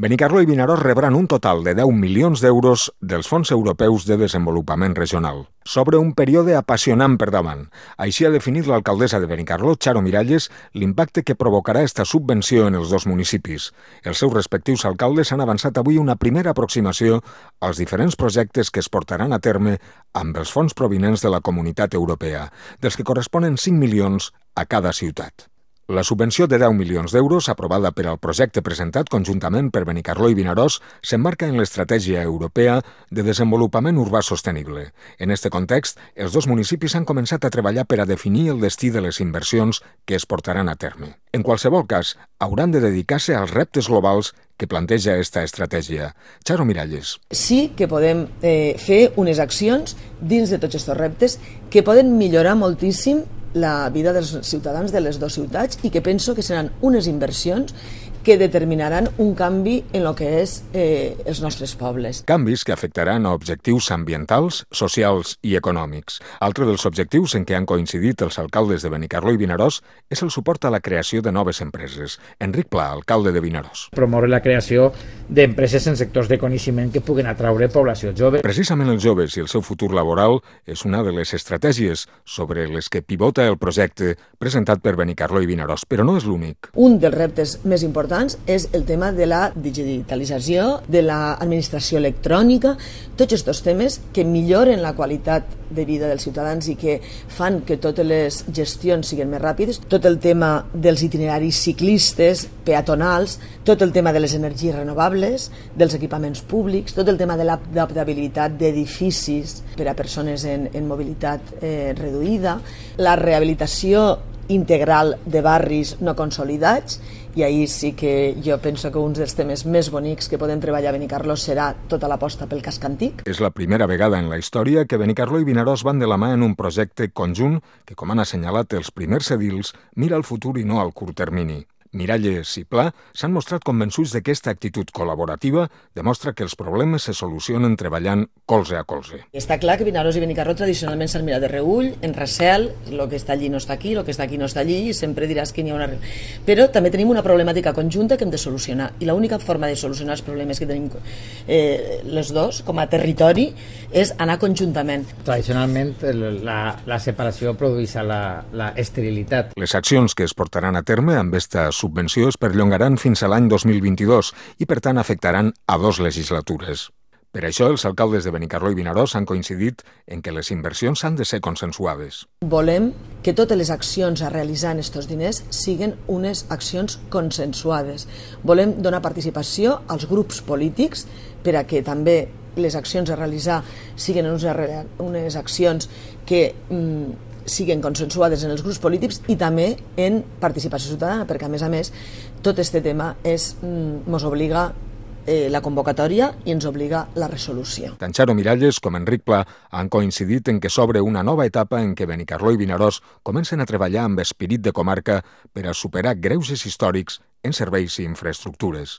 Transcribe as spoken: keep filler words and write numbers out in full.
Benicarló i Vinaròs rebran un total de deu milions d'euros dels Fons Europeus de Desenvolupament Regional. S'obre un període apassionant per davant. Així ha definit l'alcaldessa de Benicarló, Charo Miralles, l'impacte que provocarà esta subvenció en els dos municipis. Els seus respectius alcaldes han avançat avui una primera aproximació als diferents projectes que es portaran a terme amb els fons provinents de la Comunitat Europea, dels que corresponen cinc milions a cada ciutat. La subvenció de deu milions d'euros, aprovada per al projecte presentat conjuntament per Benicarló i Vinaròs, s'emmarca en l'Estratègia Europea de Desenvolupament Urbà Sostenible. En aquest context, els dos municipis han començat a treballar per a definir el destí de les inversions que es portaran a terme. En qualsevol cas, hauran de dedicar-se als reptes globals que planteja aquesta estratègia. Charo Miralles. Sí que podem eh, fer unes accions dins de tots aquests reptes que poden millorar moltíssim la vida dels ciutadans de les dues ciutats i que penso que seran unes inversions que determinaran un canvi en el que és eh, els nostres pobles. Canvis que afectaran a objectius ambientals, socials i econòmics. Altre dels objectius en què han coincidit els alcaldes de Benicarló i Vinaròs és el suport a la creació de noves empreses. Enric Pla, alcalde de Vinaròs. Promoure la creació d'empreses en sectors de coneixement que puguen atraure població jove. Precisament els joves i el seu futur laboral és una de les estratègies sobre les que pivota el projecte presentat per Benicarló i Vinaròs, però no és l'únic. Un dels reptes més importants és el tema de la digitalització, de l'administració electrònica, tots aquests temes que milloren la qualitat de vida dels ciutadans i que fan que totes les gestions siguin més ràpides, tot el tema dels itineraris ciclistes, peatonals, tot el tema de les energies renovables, dels equipaments públics, tot el tema de l'adaptabilitat d'edificis per a persones en, en mobilitat eh, reduïda, la rehabilitació integral de barris no consolidats, i ahir sí que jo penso que un dels temes més bonics que podem treballar a Benicarló serà tota l'aposta pel casc antic. És la primera vegada en la història que Benicarló i Vinaròs van de la mà en un projecte conjunt que, com han assenyalat els primers edils, mira al futur i no al curt termini. Miralles i Pla s'han mostrat convençuts de que aquesta actitud col·laborativa demostra que els problemes se solucionen treballant colze a colze. Està clar que Vinaròs i Benicarló tradicionalment s'han mirat de reull, en recel, el que està allí no està aquí, el que està aquí no està allí, i sempre diràs que n'hi ha una... Però també tenim una problemàtica conjunta que hem de solucionar, i l'única forma de solucionar els problemes que tenim eh, les dos, com a territori, és anar conjuntament. Tradicionalment, la, la separació produeix la, la esterilitat. Les accions que es portaran a terme amb aquesta subvenció es perllongaran fins a l'any dos mil vint-i-dos i, per tant, afectaran a dos legislatures. Per això, els alcaldes de Benicarló i Vinaròs han coincidit en que les inversions han de ser consensuades. Volem que totes les accions a realitzar en aquests diners siguin unes accions consensuades. Volem donar participació als grups polítics per a que també les accions a realitzar siguin unes, unes accions que mm, siguin consensuades en els grups polítics i també en participació ciutadana, perquè a més a més tot aquest tema és, ens obliga eh, la convocatòria i ens obliga la resolució. Tant Charo Miralles com Enric Pla han coincidit en que s'obre una nova etapa en què Benicarló i Vinaròs comencen a treballar amb esperit de comarca per a superar greuges històrics en serveis i infraestructures.